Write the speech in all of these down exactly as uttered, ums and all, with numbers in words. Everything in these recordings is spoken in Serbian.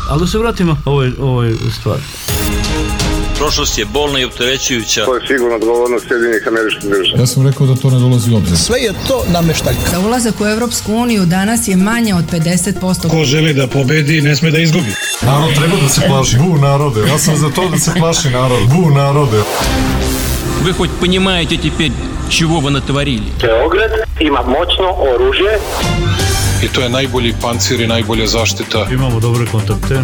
Ali da se vratimo ovoj, ovoj stvari. Prošlost je bolna i opterećujuća. To je sigurno odgovornost Sjedinjenih Američkih Država. Ja sam rekao da to ne dolazi u obzir. Sve je to nameštaljka. Za ulazak u Evropsku uniju danas je manje od pedeset posto. Ko želi da pobedi, ne sme da izgubi. Narod treba da se plaši. Bu narode. Ja sam za to da se plaši narod. Bu narode. Вы хоть понимаете теперь, чего вы натворили? Beograd ima moćno oružje. I to je najbolji pancir i najbolja zaštita. Imamo dobre kontakte.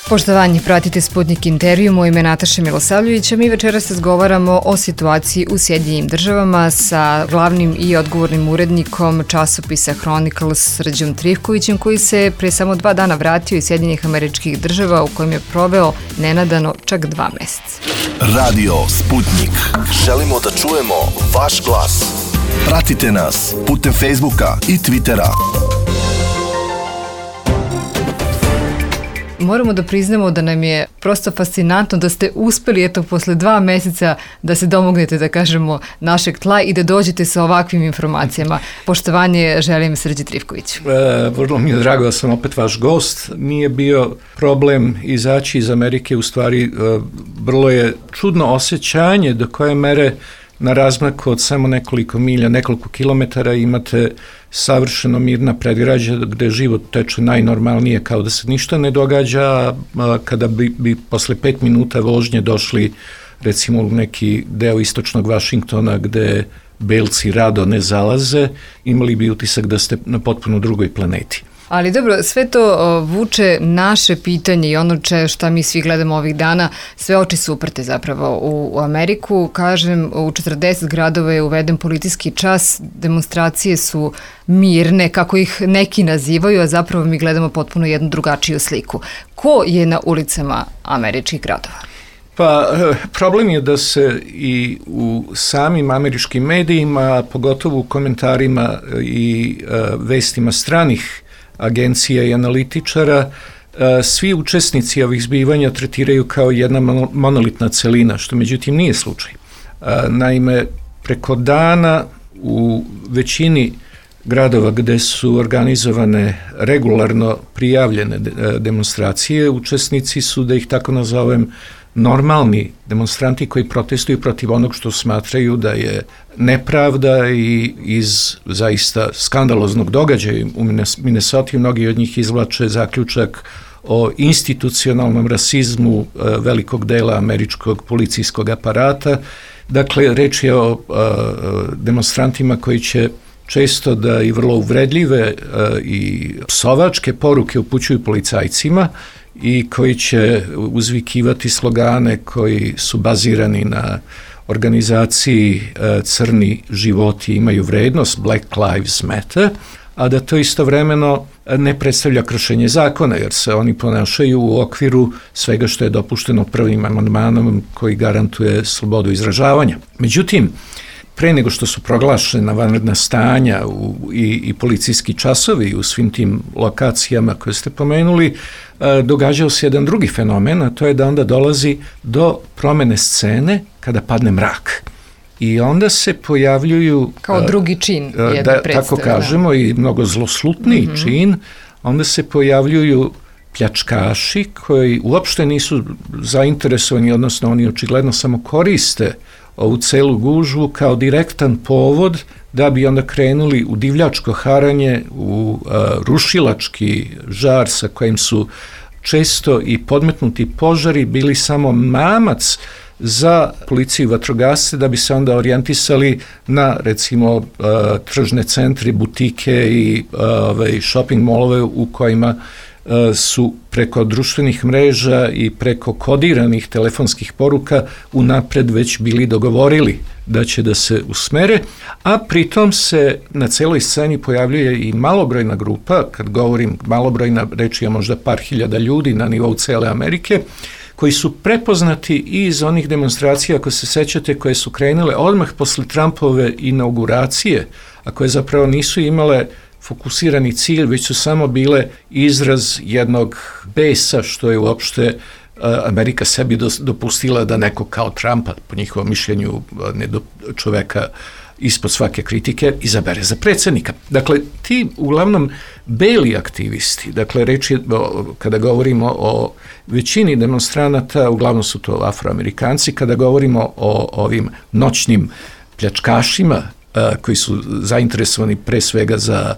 Poštovanje, pratite Sputnik intervju, moje ime je Nataša Milosavljević, a mi večeras razgovaramo o situaciji u Sjedinjenim Državama sa glavnim i odgovornim urednikom časopisa Chronicles Srđom Trifkovićem, koji se pre samo dva dana vratio iz Sjedinjenih Američkih Država u kojem je proveo nenadano čak dva meseca. Radio Sputnik. Želimo da čujemo vaš glas. Pratite nas putem Facebooka i Twittera. Moramo da priznamo da nam je prosto fascinantno da ste uspeli eto posle dva meseca da se domognete, da kažemo, našeg tla i da dođete sa ovakvim informacijama. Poštovanje želim Srđi Trifkoviću. E, vrlo mi je drago da sam opet vaš gost. Nije bio problem izaći iz Amerike, u stvari e, vrlo je čudno osjećanje do koje mere na razmaku od samo nekoliko milja, nekoliko kilometara imate savršeno mirna predgrađa gde život teče najnormalnije, kao da se ništa ne događa, a kada bi, bi posle pet minuta vožnje došli recimo u neki deo istočnog Vašingtona gde belci rado ne zalaze, imali bi utisak da ste na potpuno drugoj planeti. Ali dobro, sve to o, vuče naše pitanje i ono če, šta mi svi gledamo ovih dana, sve oči su uprte zapravo u, u Ameriku. Kažem, u četrdeset gradova je uveden policijski čas, demonstracije su mirne, kako ih neki nazivaju, a zapravo mi gledamo potpuno jednu drugačiju sliku. Ko je na ulicama američkih gradova? Pa, problem je da se i u samim američkim medijima, pogotovo u komentarima i uh, vestima stranih agencija i analitičara, svi učesnici ovih zbivanja tretiraju kao jedna monolitna celina, što međutim nije slučaj. Naime, preko dana u većini gradova gde su organizovane regularno prijavljene demonstracije, učesnici su, da ih tako nazovem, normalni demonstranti koji protestuju protiv onog što smatraju da je nepravda i iz zaista skandaloznog događaja u Minnesoti. Mnogi od njih izvlače zaključak o institucionalnom rasizmu velikog dela američkog policijskog aparata. Dakle, reč je o demonstrantima koji će često da i vrlo uvredljive i psovačke poruke upućuju policajcima i koji će uzvikivati slogane koji su bazirani na organizaciji crni životi imaju vrednost, Black Lives Matter, a da to istovremeno ne predstavlja kršenje zakona, jer se oni ponašaju u okviru svega što je dopušteno prvim amandmanom koji garantuje slobodu izražavanja. Međutim, pre nego što su proglašena vanredna stanja u, i, i policijski časovi u svim tim lokacijama koje ste pomenuli, e, događao se jedan drugi fenomen, a to je da onda dolazi do promene scene kada padne mrak. I onda se pojavljuju... Kao drugi čin jedne da, predstave. Tako kažemo, i mnogo zloslutniji mm-hmm. čin. Onda se pojavljuju pljačkaši koji uopšte nisu zainteresovani, odnosno oni očigledno samo koriste ovu celu gužvu kao direktan povod da bi onda krenuli u divljačko haranje, u uh, rušilački žar sa kojim su često i podmetnuti požari bili samo mamac za policiju i vatrogasce da bi se onda orijentisali na recimo uh, tržne centre, butike i uh, ovaj, shopping molove u kojima su preko društvenih mreža i preko kodiranih telefonskih poruka unapred već bili dogovorili da će da se usmere, a pritom se na celoj sceni pojavljuje i malobrojna grupa, kad govorim malobrojna, reč je možda par hiljada ljudi na nivou cele Amerike, koji su prepoznati iz onih demonstracija, ako se sećate, koje su krenule odmah posle Trumpove inauguracije, a koje zapravo nisu imale fokusirani cilj, već su samo bile izraz jednog besa što je uopšte Amerika sebi dopustila da neko kao Trumpa, po njihovom mišljenju ne do, čoveka ispod svake kritike izabere za predsjednika. Dakle, ti uglavnom beli aktivisti, dakle, reč je, kada govorimo o većini demonstranata, uglavnom su to Afroamerikanci, kada govorimo o ovim noćnim pljačkašima koji su zainteresovani pre svega za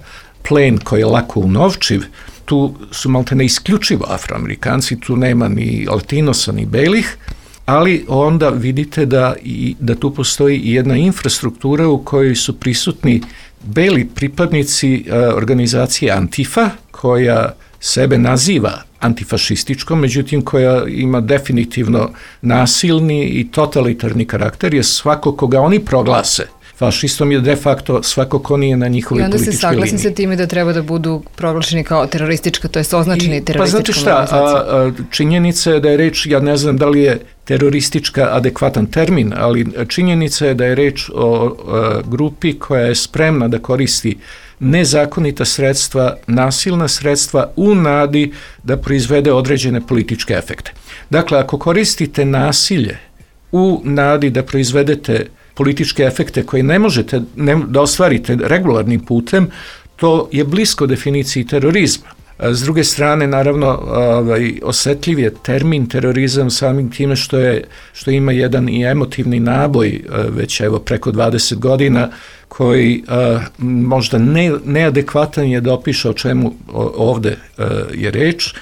plen koji je lako unovčiv, tu su maltene isključivo Afroamerikanci, tu nema ni Latinosa ni belih, ali onda vidite da, i, da tu postoji i jedna infrastruktura u kojoj su prisutni beli pripadnici uh, organizacije Antifa, koja sebe naziva antifašističkom, međutim koja ima definitivno nasilni i totalitarni karakter, jer svako koga oni proglase fašistom je de facto svako ko nije na njihovoj političkoj liniji. I onda se saglasim sa time da treba da budu proglašeni kao teroristička, to je označeni terorističkom organizacijom. Pa znate šta, a, činjenica je da je reč, ja ne znam da li je teroristička adekvatan termin, ali činjenica je da je reč o a, grupi koja je spremna da koristi nezakonita sredstva, nasilna sredstva u nadi da proizvede određene političke efekte. Dakle, ako koristite nasilje u nadi da proizvedete političke efekte koje ne možete ne, da ostvarite regularnim putem, to je blisko definiciji terorizma. S druge strane, naravno, ovaj, osetljiv je termin terorizam samim time što, je, što ima jedan i emotivni naboj već evo preko dvadeset godina koji a, možda ne, neadekvatan je da opiše o čemu ovde a, je reč.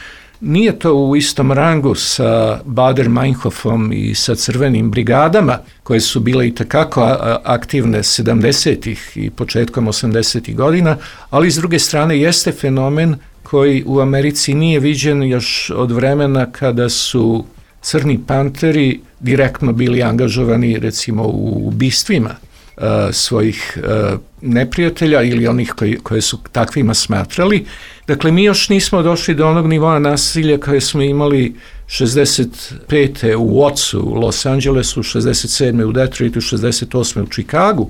Nije to u istom rangu sa Bader-Meinhofom i sa crvenim brigadama, koje su bile i takako aktivne sedamdesetih i početkom osamdesetih godina, ali s druge strane jeste fenomen koji u Americi nije viđen još od vremena kada su crni panteri direktno bili angažovani recimo u ubistvima uh, svojih uh, neprijatelja ili onih koji, koje su takvima smatrali. Dakle, mi još nismo došli do onog nivoa nasilja koje smo imali šezdeset pete u Watsu, u Los Angelesu, šezdeset sedme u Detroitu, šezdeset osme u Čikagu,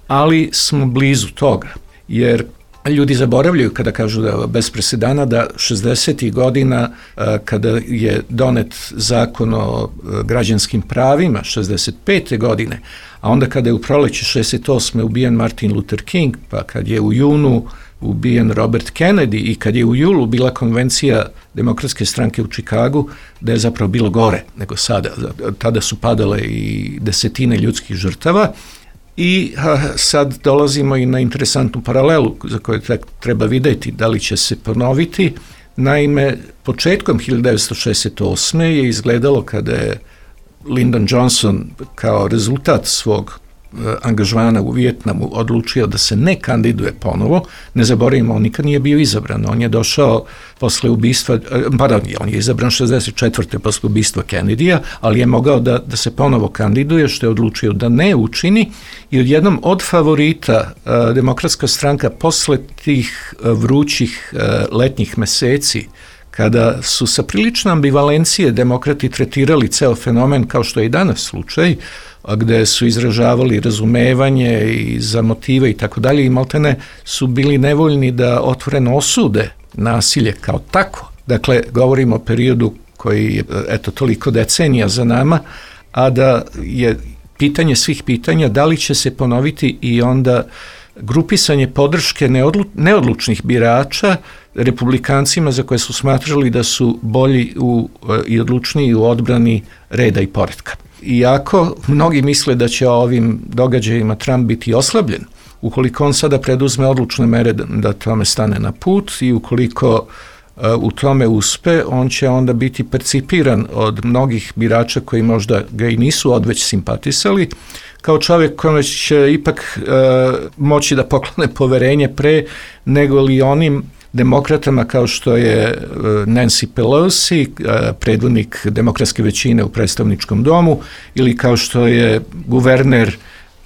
ali smo blizu toga, jer ljudi zaboravljaju kada kažu da je bez presedana da šezdesetih godina kada je donet zakon o građanskim pravima šezdeset pete godine, a onda kada je u proleće šezdeset osme ubijen Martin Luther King, pa kad je u junu ubijen Robert Kennedy i kad je u julu bila konvencija Demokratske stranke u Čikagu, da je zapravo bilo gore nego sada. Tada su padale i desetine ljudskih žrtava. I a, sad dolazimo i na interesantnu paralelu za koju treba vidjeti da li će se ponoviti. Naime, početkom hiljadu devetsto šezdeset osme je izgledalo kada je Lyndon Johnson kao rezultat svog angažmana u Vijetnamu odlučio da se ne kandiduje ponovo. Ne zaboravimo, on nikad nije bio izabran. On je došao posle ubistva, pardon, on je izabran šezdeset četvrte posle ubistva Kennedyja, ali je mogao da, da se ponovo kandiduje, što je odlučio da ne učini i odjednom od favorita uh, Demokratska stranka posle tih uh, vrućih uh, letnjih meseci, kada su sa priličnom ambivalencije demokrati tretirali ceo fenomen kao što je i danas slučaj, gde su izražavali razumevanje i za motive i tako dalje i maltene su bili nevoljni da otvoreno osude nasilje kao tako. Dakle, govorimo o periodu koji je eto toliko decenija za nama, a da je pitanje svih pitanja da li će se ponoviti i onda grupisanje podrške neodlu, neodlučnih birača republikancima za koje su smatrali da su bolji u, i odlučniji u odbrani reda i poretka. Iako mnogi misle da će ovim događajima Trump biti oslabljen, ukoliko on sada preduzme odlučne mere da, da tome stane na put i ukoliko uh, u tome uspe, on će onda biti percipiran od mnogih birača koji možda ga i nisu odveć simpatisali, kao čovjek kome će ipak uh, moći da poklone poverenje pre nego li onim demokratama kao što je Nancy Pelosi, predvodnik demokratske većine u predstavničkom domu, ili kao što je guverner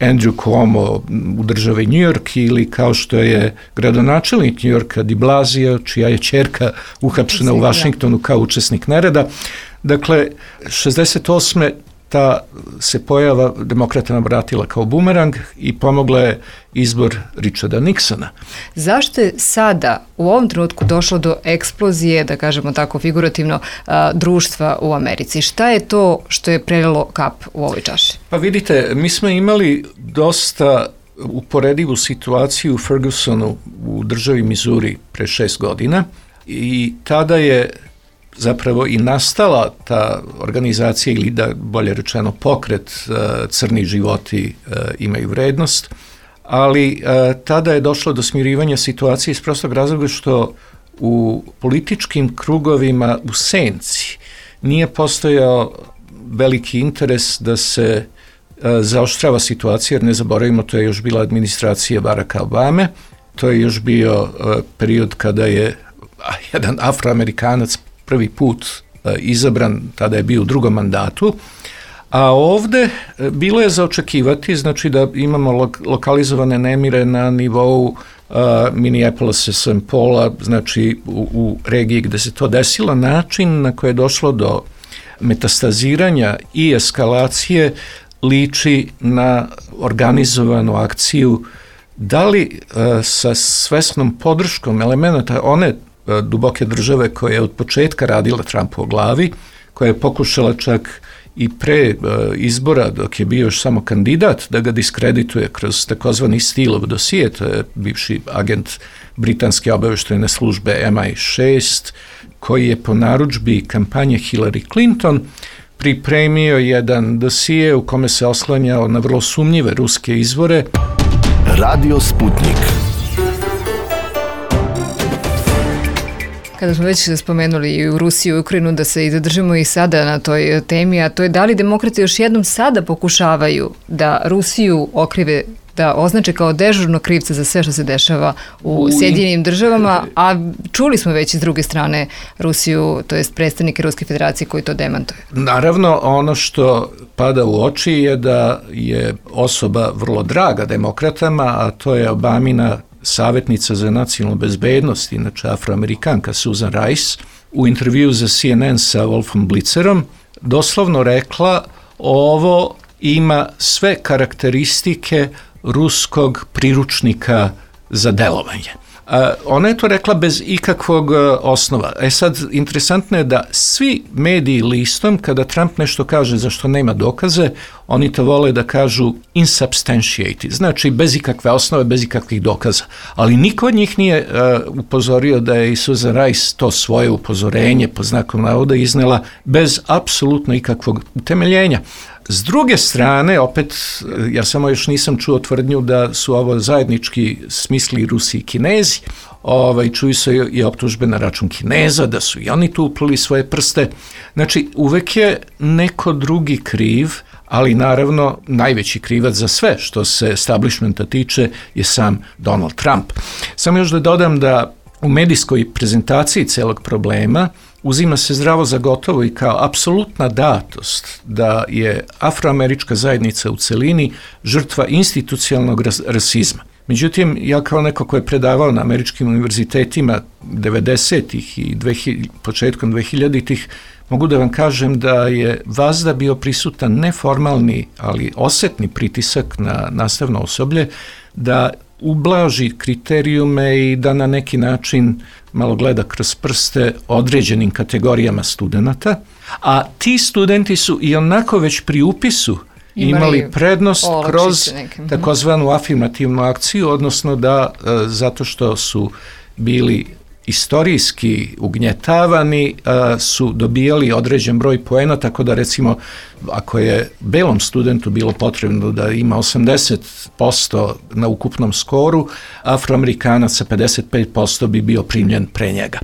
Andrew Cuomo u državi New York, ili kao što je gradonačelnik New Yorka de Blasio, čija je ćerka uhapšena u Vašingtonu kao učesnik nereda. Dakle, šezdeset osme ta se pojava demokratama vratila kao bumerang i pomogla je izbor Richarda Nixona. Zašto je sada u ovom trenutku došlo do eksplozije, da kažemo tako figurativno, a, društva u Americi? Šta je to što je prelilo kap u ovoj čaši? Pa vidite, mi smo imali dosta uporedivu situaciju u Fergusonu u državi Missouri pre šest godina i tada je zapravo i nastala ta organizacija ili da bolje rečeno pokret Crni životi imaju vrednost, ali tada je došlo do smirivanja situacije iz prostog razloga što u političkim krugovima u senci nije postojao veliki interes da se zaoštrava situacija, jer ne zaboravimo, to je još bila administracija Baracka Obame, to je još bio period kada je jedan Afroamerikanac prvi put izabran, tada je bio u drugom mandatu, a ovde bilo je za očekivati, znači da imamo lo- lokalizovane nemire na nivou uh, Minneapolisa, Saint Paula, znači u, u regiji gde se to desilo, način na koje je došlo do metastaziranja i eskalacije liči na organizovanu akciju, da li uh, sa svesnom podrškom elemenata one uh, duboke države koja je od početka radila Trumpu o glavi, koja je pokušala čak i pre uh, izbora, dok je bio još samo kandidat, da ga diskredituje kroz takozvani Steeleov dosije, to je bivši agent britanske obaveštajne službe M I šest, koji je po narudžbi kampanje Hillary Clinton pripremio jedan dosije u kome se oslanjao na vrlo sumnjive ruske izvore. Radio Sputnik. Kada smo već spomenuli i u Rusiju i Ukrajinu, da se i zadržimo i sada na toj temi, a to je da li demokrati još jednom sada pokušavaju da Rusiju okrive, da označe kao dežurno krivca za sve što se dešava u Sjedinjenim državama, a čuli smo već iz druge strane Rusiju, to jest predstavnike Ruske federacije koji to demantuju. Naravno, ono što pada u oči je da je osoba vrlo draga demokratama, a to je Obamina savjetnica za nacionalnu bezbednost, inače Afroamerikanka Susan Rice, u intervju za C N N sa Wolfom Blitzerom doslovno rekla: ovo ima sve karakteristike ruskog priručnika za delovanje. Ona je to rekla bez ikakvog osnova. E sad, interesantno je da svi mediji listom, kada Trump nešto kaže za što nema dokaze, oni to vole da kažu insubstantiated, znači bez ikakve osnove, bez ikakvih dokaza. Ali niko od njih nije uh, upozorio da je i Susan Rice to svoje upozorenje po znakom navoda iznela bez apsolutno ikakvog utemeljenja. S druge strane, opet, ja samo još nisam čuo tvrdnju da su ovo zajednički smisli Rusi i Kinezi, ovaj, čuju se i optužbe na račun Kineza, da su i oni tu uplili svoje prste. Znači, uvek je neko drugi kriv, ali naravno najveći krivac za sve što se establishmenta tiče je sam Donald Trump. Samo još da dodam da u medijskoj prezentaciji celog problema uzima se zdravo za gotovo i kao apsolutna datost da je afroamerička zajednica u celini žrtva institucionalnog ras- rasizma. Međutim, ja kao neko ko je predavao na američkim univerzitetima devedesetih i dvehiljaditih, početkom dvehiljaditih, mogu da vam kažem da je vazda bio prisutan neformalni, ali osetni pritisak na nastavno osoblje da ublaži kriterijume i da na neki način malo gleda kroz prste određenim kategorijama studenta, a ti studenti su i onako već pri upisu imali, imali prednost kroz takozvanu afirmativnu akciju, odnosno da zato što su bili istorijski ugnjetavani, su dobijali određen broj poena, tako da recimo ako je belom studentu bilo potrebno da ima osamdeset posto na ukupnom skoru, Afroamerikanac sa pedeset pet posto bi bio primljen pre njega.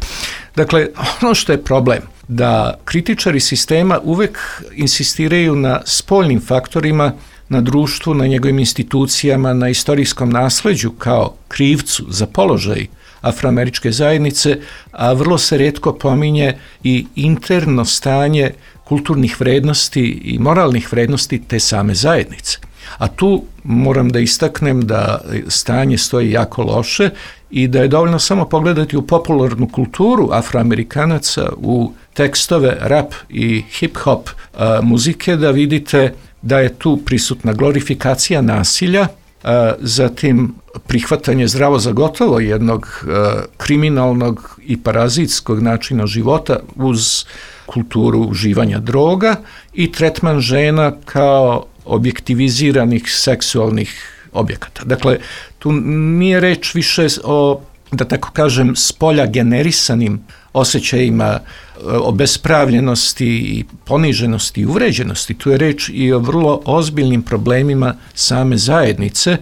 Dakle, ono što je problem, da kritičari sistema uvek insistiraju na spoljnim faktorima, na društvu, na njegovim institucijama, na istorijskom nasleđu kao krivcu za položaj afroameričke zajednice, a vrlo se retko pominje i interno stanje kulturnih vrednosti i moralnih vrednosti te same zajednice. A tu moram da istaknem da stanje stoji jako loše i da je dovoljno samo pogledati u popularnu kulturu Afroamerikanaca, u tekstove rap i hip-hop a, muzike, da vidite da je tu prisutna glorifikacija nasilja, a, zatim prihvatanje zdravo za gotovo jednog a, kriminalnog i parazitskog načina života uz kulturu uživanja droga i tretman žena kao objektiviziranih seksualnih objekata. Dakle, tu nije reč više o, da tako kažem, spolja generisanim osjećajima obespravljenosti i poniženosti i uvređenosti. Tu je reč i o vrlo ozbiljnim problemima same zajednice,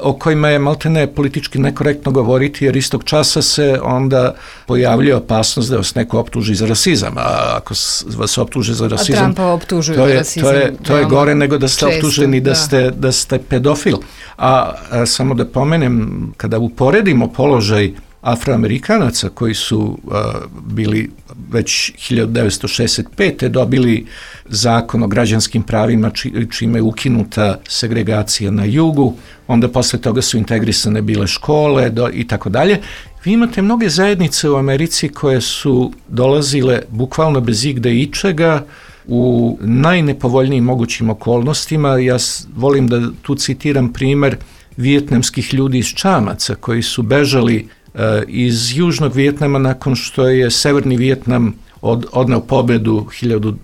o kojima je maltene politički nekorektno govoriti, jer istog časa se onda pojavljuje opasnost da vas neko optuži za rasizam, a ako vas optuže za rasizam, a Trumpa optužuju to je, za rasizam, to je, to je gore nego da ste često, optuženi da, da. Ste, da ste pedofil. A, a samo da pomenem, kada uporedimo položaj Afroamerikanaca koji su a, bili već hiljadu devetsto šezdeset pete dobili zakon o građanskim pravima či, čime je ukinuta segregacija na jugu, onda posle toga su integrisane bile škole do, i tako dalje. Vi imate mnoge zajednice u Americi koje su dolazile bukvalno bez igde ičega u najnepovoljnijim mogućim okolnostima. Ja volim da tu citiram primer vijetnamskih ljudi iz Čamaca koji su bežali iz Južnog Vijetnama nakon što je Severni Vijetnam od, odneo pobedu hiljadu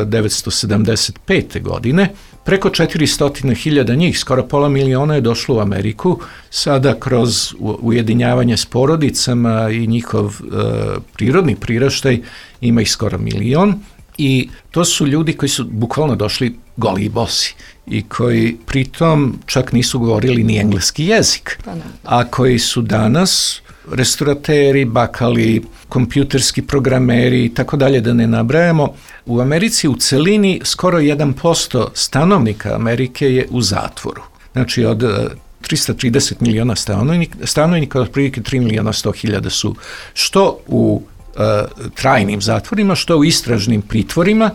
devetsto sedamdeset pete. godine. Preko četiristo hiljada njih, skoro pola miliona je došlo u Ameriku, sada kroz ujedinjavanje s porodicama i njihov e, prirodni priraštaj ima ih skoro milion. I to su ljudi koji su bukvalno došli goli i bosi i koji pritom čak nisu govorili ni engleski jezik, a koji su danas restorateri, bakali, kompjuterski programeri i tako dalje, da ne nabrajamo. U Americi u celini skoro jedan posto stanovnika Amerike je u zatvoru. Znači od tristo trideset miliona stanovnika, stanovnika otprilike tri miliona sto hiljada su što u uh, trajnim zatvorima, što u istražnim pritvorima.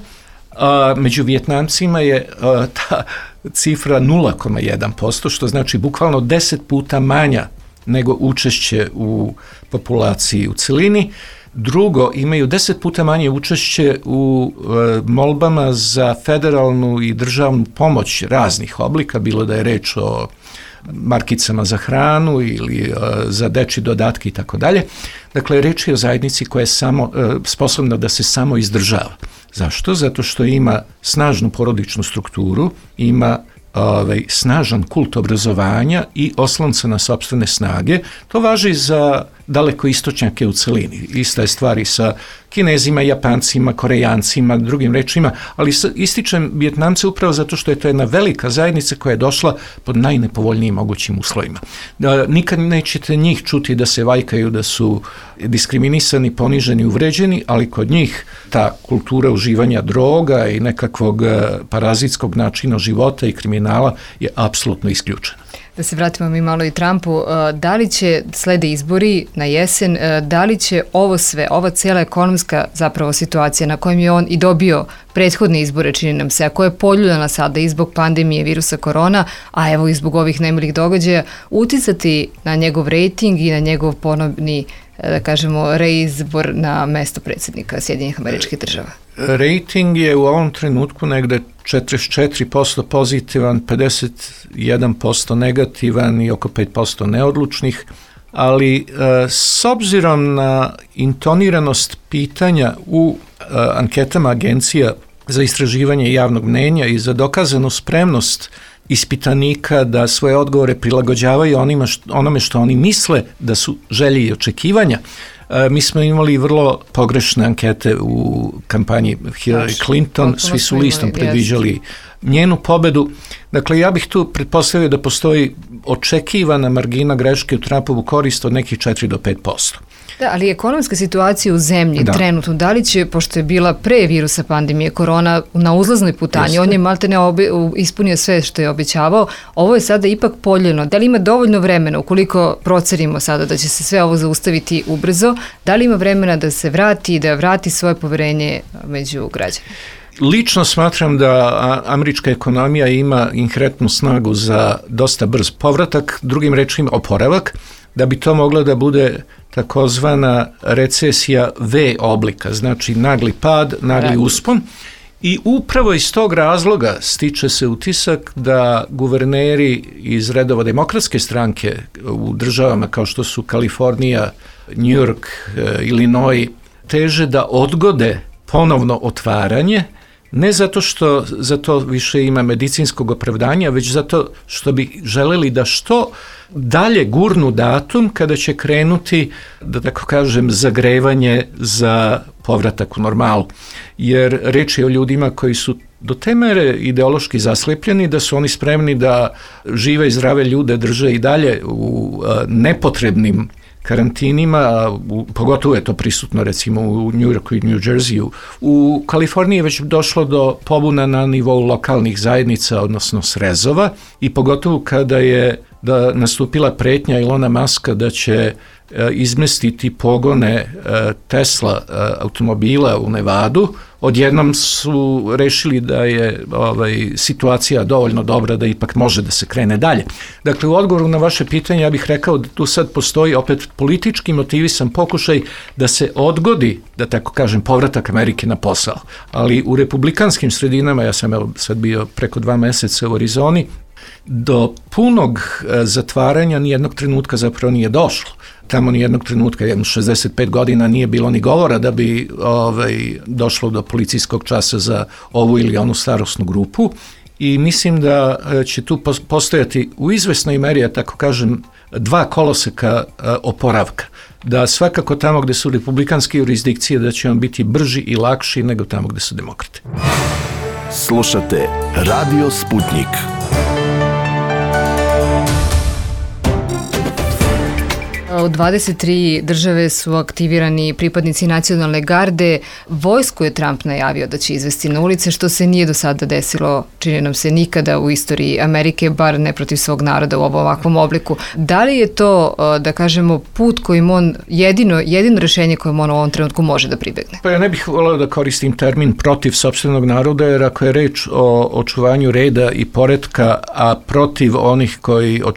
Uh, među Vijetnamcima je uh, ta cifra nula zarez jedan posto, što znači bukvalno deset puta manja nego učešće u populaciji u celini. Drugo, imaju deset puta manje učešće u e, molbama za federalnu i državnu pomoć raznih oblika, bilo da je reč o markicama za hranu ili e, za dečji dodatke i tako dalje. Dakle, reč je o zajednici koja je samo, e, sposobna da se samo izdržava. Zašto? Zato što ima snažnu porodičnu strukturu, ima Ovaj, snažan kult obrazovanja i oslonca na sopstvene snage. To važi za daleko istočnjake u celini. Ista je stvari sa Kinezima, Japancima, Korejancima, drugim rečima, ali ističem Vijetnamce upravo zato što je to jedna velika zajednica koja je došla pod najnepovoljnijim mogućim uslovima. Nikad nećete njih čuti da se vajkaju da su diskriminisani, poniženi, uvređeni, ali kod njih ta kultura uživanja droga i nekakvog parazitskog načina života i kriminala je apsolutno isključena. Da se vratimo mi malo i Trumpu, da li će slede izbori na jesen, da li će ovo sve, ova cijela ekonomska zapravo situacija na kojem je on i dobio prethodne izbore, čini nam se, a koja je poljuljana sada i zbog pandemije virusa korona, a evo i zbog ovih nemilih događaja, uticati na njegov rejting i na njegov ponovni, da kažemo, reizbor na mesto predsjednika Sjedinjenih Američkih Država? Rating je u ovom trenutku negde četrdeset četiri posto pozitivan, pedeset jedan posto negativan i oko pet posto neodlučnih, ali e, s obzirom na intoniranost pitanja u e, anketama agencija za istraživanje javnog mnenja i za dokazanu spremnost ispitanika da svoje odgovore prilagođavaju onima što, onome što oni misle da su želje i očekivanja. E, mi smo imali vrlo pogrešne ankete u kampanji Hillary Clinton, svi su listom predviđali njenu pobedu. Dakle, ja bih tu pretpostavio da postoji očekivana margina greške u Trumpovu korist od nekih četiri do pet posto. Da, ali ekonomska situacija u zemlji da. trenutno, da li će, pošto je bila pre virusa pandemije korona na uzlaznoj putanji, Jeste. on je maltene obi, ispunio sve što je obećavao, ovo je sada ipak poljeno. Da li ima dovoljno vremena, ukoliko procerimo sada da će se sve ovo zaustaviti ubrzo, da li ima vremena da se vrati i da vrati svoje poverenje među građanima? Lično smatram da američka ekonomija ima inherentnu snagu za dosta brz povratak, drugim rečima oporavak, da bi to mogla da bude takozvana recesija V oblika, znači nagli pad, nagli uspon. I upravo iz tog razloga stiče se utisak da guverneri iz redova demokratske stranke u državama kao što su Kalifornija, New York, Illinois, teže da odgode ponovno otvaranje ne zato što za to više ima medicinskog opravdanja, već zato što bi želeli da što dalje gurnu datum kada će krenuti, da tako kažem, zagrevanje za povratak u normalu. Jer reč je o ljudima koji su do te mere ideološki zaslepljeni da su oni spremni da žive i zdrave ljude drže i dalje u nepotrebnim karantinima, u, pogotovo je to prisutno recimo u New Yorku i New Jerseyu. U Kaliforniji je već došlo do pobuna na nivou lokalnih zajednica, odnosno srezova, i pogotovo kada je da nastupila pretnja Ilona Muska da će izmestiti pogone Tesla automobila u Nevadu, odjednom su rešili da je ovaj, situacija dovoljno dobra da ipak može da se krene dalje. Dakle, u odgovoru na vaše pitanje ja bih rekao da tu sad postoji opet politički motivisan pokušaj da se odgodi, da tako kažem, povratak Amerike na posao. Ali u republikanskim sredinama, ja sam evo, sad bio preko dva meseca u Arizoni, do punog zatvaranja nijednog trenutka zapravo nije došlo. Tamo nijednog trenutka, jedno šezdeset pet godina nije bilo ni govora da bi ovaj, došlo do policijskog časa za ovu ili onu starosnu grupu i mislim da će tu postojati u izvesnoj meri, ja tako kažem, dva koloseka oporavka. Da svakako tamo gde su republikanske jurisdikcije da će on biti brži i lakši nego tamo gde su demokrate. Slušate Radio Sputnik. U dvadeset tri države su aktivirani pripadnici nacionalne garde. Vojsku je Trump najavio da će izvesti na ulice, što se nije do sada desilo, čini nam se, nikada u istoriji Amerike, bar ne protiv svog naroda u ovom ovakvom obliku. Da li je to, da kažemo, put kojim on, jedino, jedino rešenje kojim on u ovom trenutku može da pribegne? Pa ja ne bih voleo da koristim termin protiv sopstvenog naroda, jer ako je reč o očuvanju reda i poretka, a protiv onih koji uh,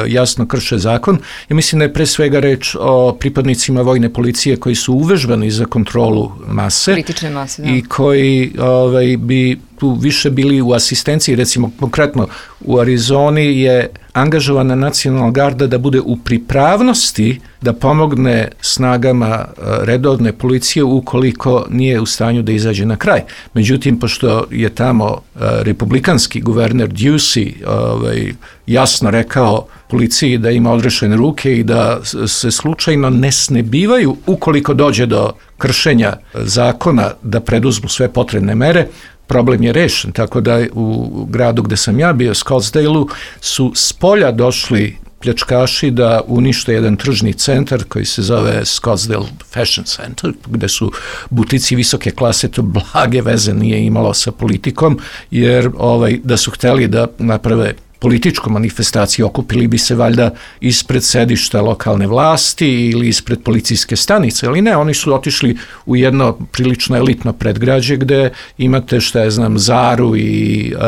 jasno krše zakon, ja mislim da je pre svega reč o pripadnicima vojne policije koji su uvežbani za kontrolu mase, kritične mase, da. I koji ovaj, bi tu više bili u asistenciji. Recimo, konkretno u Arizoni je angažovana nacionalna garda da bude u pripravnosti da pomogne snagama redovne policije ukoliko nije u stanju da izađe na kraj. Međutim, pošto je tamo republikanski guverner Ducey ovaj, jasno rekao policiji da ima odrešene ruke i da se slučajno ne snebivaju ukoliko dođe do kršenja zakona da preduzmu sve potrebne mere, problem je rešen, tako da u gradu gde sam ja bio, Scottsdale-u, su s polja došli pljačkaši da unište jedan tržni centar koji se zove Scottsdale Fashion Center, gde su butici visoke klase, to blage veze nije imalo sa politikom, jer ovaj, da su hteli da naprave političku manifestaciju, okupili bi se valjda ispred sedišta lokalne vlasti ili ispred policijske stanice, ali ne, oni su otišli u jedno prilično elitno predgrađe gde imate, šta je znam, Zaru i uh,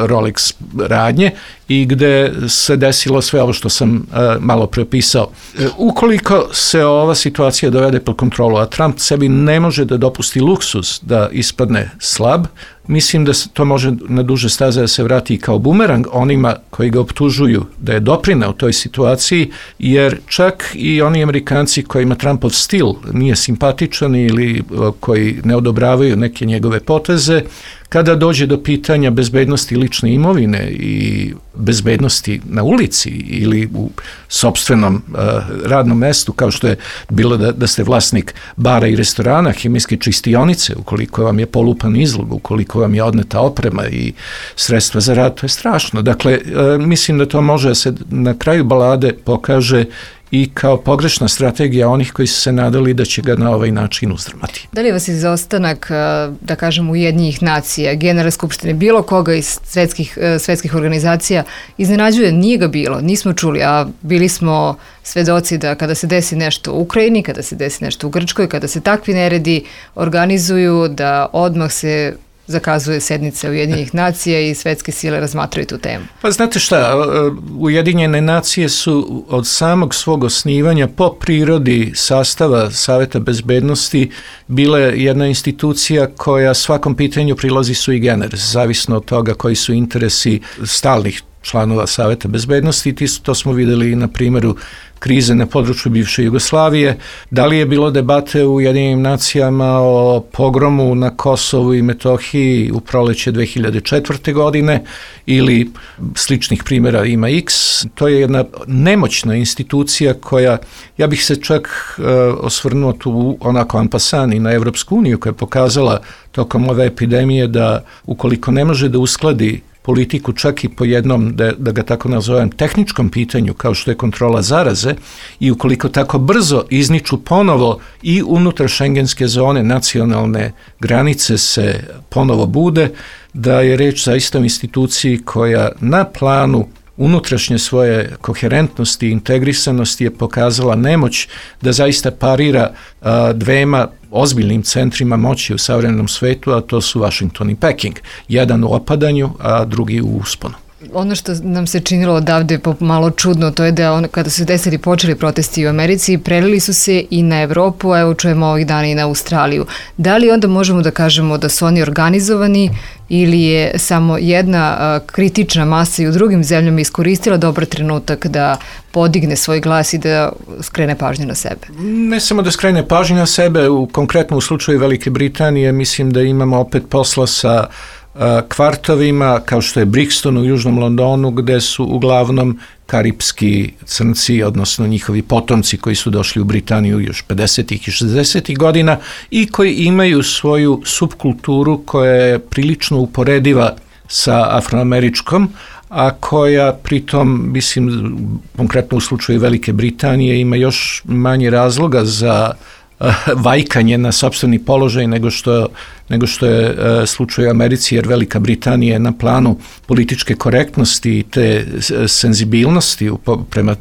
Rolex radnje i gde se desilo sve ovo što sam uh, malo prepisao. Uh, ukoliko se ova situacija dovede pod kontrolu, a Trump sebi ne može da dopusti luksuz da ispadne slab, mislim da to može na duže staze da se vrati kao bumerang onima koji ga optužuju da je doprineo u toj situaciji, jer čak i oni Amerikanci kojima Trumpov stil nije simpatičan ili koji ne odobravaju neke njegove poteze, kada dođe do pitanja bezbednosti lične imovine i bezbednosti na ulici ili u sopstvenom uh, radnom mestu, kao što je bilo da, da ste vlasnik bara i restorana, hemijske čistionice, ukoliko vam je polupan izlog, ukoliko vam je odneta oprema i sredstva za rad, to je strašno. Dakle, uh, mislim da to može da se na kraju balade pokaže i kao pogrešna strategija onih koji su se nadali da će ga na ovaj način uzdrmati. Da li vas izostanak, da kažem, Ujedinjenih nacija, Generalne skupštine, bilo koga iz svetskih, svetskih organizacija iznenađuje? Nije ga bilo, nismo čuli, a bili smo svedoci da kada se desi nešto u Ukrajini, kada se desi nešto u Grčkoj, kada se takvi neredi organizuju, da odmah se zakazuje sednica Ujedinjenih nacija i svetske sile razmatraju tu temu. Pa znate šta, Ujedinjene nacije su od samog svog osnivanja po prirodi sastava Saveta bezbednosti bile jedna institucija koja svakom pitanju prilazi sui generis, zavisno od toga koji su interesi stalnih članova Saveta bezbednosti. To smo videli i na primjeru krize na području bivše Jugoslavije. Da li je bilo debate u Ujedinjenim nacijama o pogromu na Kosovu i Metohiji u proleće dve hiljade četvrte. godine ili sličnih primjera ima X. To je jedna nemoćna institucija koja, ja bih se čak uh, osvrnuo tu onako ampasan i na Evropsku uniju koja je pokazala tokom ove epidemije da ukoliko ne može da uskladi politiku čak i po jednom, da, da ga tako nazovem, tehničkom pitanju kao što je kontrola zaraze i ukoliko tako brzo izniču ponovo i unutar šengenske zone nacionalne granice se ponovo bude, da je reč zaista o instituciji koja na planu unutrašnje svoje koherentnosti i integrisanosti je pokazala nemoć da zaista parira a, dvema ozbiljnim centrima moći u savremenom svetu, a to su Washington i Peking. Jedan u opadanju, a drugi u usponu. Ono što nam se činilo odavde malo čudno, to je da on, kada su desili počeli protesti u Americi, prelili su se i na Evropu, a evo čujemo ovih dana i na Australiju. Da li onda možemo da kažemo da su oni organizovani ili je samo jedna a, kritična masa i u drugim zemljama iskoristila dobar trenutak da podigne svoj glas i da skrene pažnju na sebe? Ne samo da skrene pažnju na sebe, u, konkretno u slučaju Velike Britanije mislim da imamo opet posla sa kvartovima kao što je Brixton u južnom Londonu gde su uglavnom karipski crnci, odnosno njihovi potomci koji su došli u Britaniju još pedesetih i šezdesetih godina i koji imaju svoju subkulturu koja je prilično uporediva sa afroameričkom, a koja pritom, mislim, konkretno u slučaju Velike Britanije ima još manje razloga za vajkanje na sopstveni položaj nego što, nego što je uh, slučaj u Americi, jer Velika Britanija je na planu političke korektnosti i te senzibilnosti prema uh,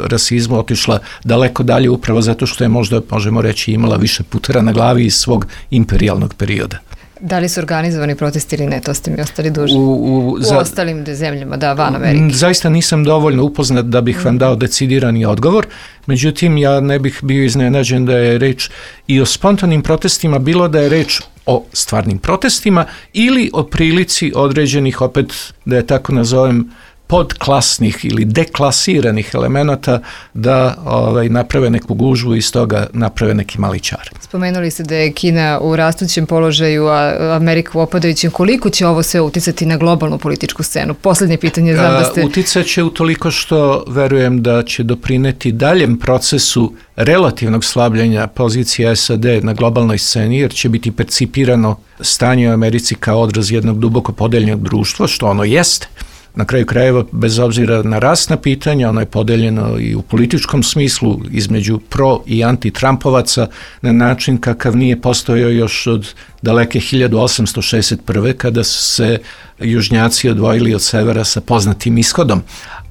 rasizmu otišla daleko dalje upravo zato što je možda, možemo reći, imala više putera na glavi iz svog imperijalnog perioda. Da li su organizovani protesti ili ne, to ste mi ostali dužni. U, u, u za, ostalim zemljama, da, van Amerike. Zaista nisam dovoljno upoznat da bih vam dao decidirani odgovor, međutim ja ne bih bio iznenađen da je reč i o spontanim protestima, bilo da je reč o stvarnim protestima ili o prilici određenih, opet da je tako nazovem, podklasnih ili deklasiranih elemenata da ovaj, naprave neku gužvu i iz toga naprave neki mali čar. Spomenuli ste da je Kina u rastućem položaju, a Amerika u opadajućem. Koliko će ovo sve uticati na globalnu političku scenu? Poslednje pitanje, znam da ste... Uticat će utoliko što verujem da će doprineti daljem procesu relativnog slabljenja pozicije S A D na globalnoj sceni, jer će biti percipirano stanje u Americi kao odraz jednog duboko podeljenog društva, što ono jeste. Na kraju krajeva, bez obzira na rasna pitanja, ono je podeljeno i u političkom smislu između pro- i anti-Trumpovaca na način kakav nije postojao još od daleke hiljadu osamsto šezdeset prve. kada su se južnjaci odvojili od severa sa poznatim ishodom.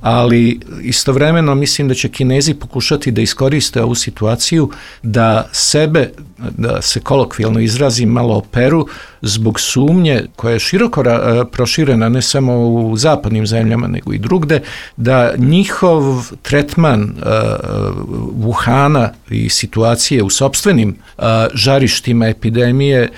Ali istovremeno mislim da će Kinezi pokušati da iskoriste ovu situaciju da sebe, da se kolokvijalno izrazim, malo operu zbog sumnje koja je široko ra- proširena ne samo u zapadnim zemljama nego i drugde, da njihov tretman uh, Wuhana i situacije u sopstvenim uh, žarištima epidemije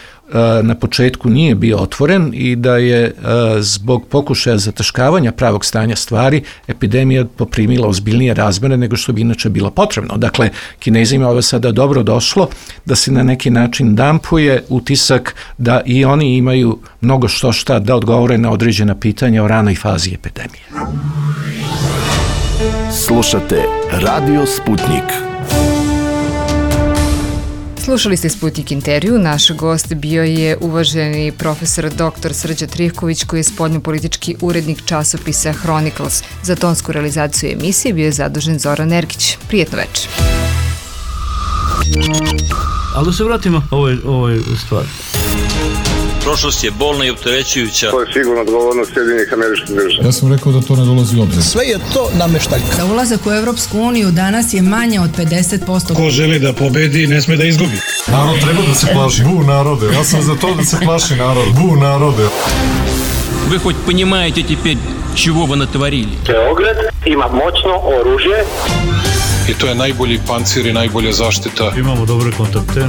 na početku nije bio otvoren i da je zbog pokušaja zataškavanja pravog stanja stvari epidemija poprimila ozbiljnije razmere nego što bi inače bilo potrebno. Dakle, Kinezima ovo sada dobro došlo da se na neki način dampuje utisak da i oni imaju mnogo što šta da odgovore na određena pitanja o ranoj fazi epidemije. Slušate Radio Sputnik. Slušali ste Sputnik intervju. Naš gost bio je uvaženi profesor doktor Srđa Trivković, koji je spoljnopolitički urednik časopisa Chronicles. Za tonsku realizaciju emisije bio je zadužen Zoran Erkić. Prijetno večer. Ali da se vratimo ovoj, ovoj stvari. Prošlost je bolna i opterećujuća. To je sigurno odgovornost Sjedinjenih Američkih Država. Ja sam rekao da to ne dolazi u obzir. Sve je to nameštaljka. Za ulazak u Evropsku uniju danas je manje od pedeset posto. Ko želi da pobedi, ne sme da izgubi. Narod treba da se plaši. Bu narode. Ja sam za to da se plaši narod. Bu narode. Вы хоть понимаете теперь, чего вы натворили? Beograd ima moćno oružje. I to je najbolji pancir i najbolja zaštita. Imamo dobre kontakte.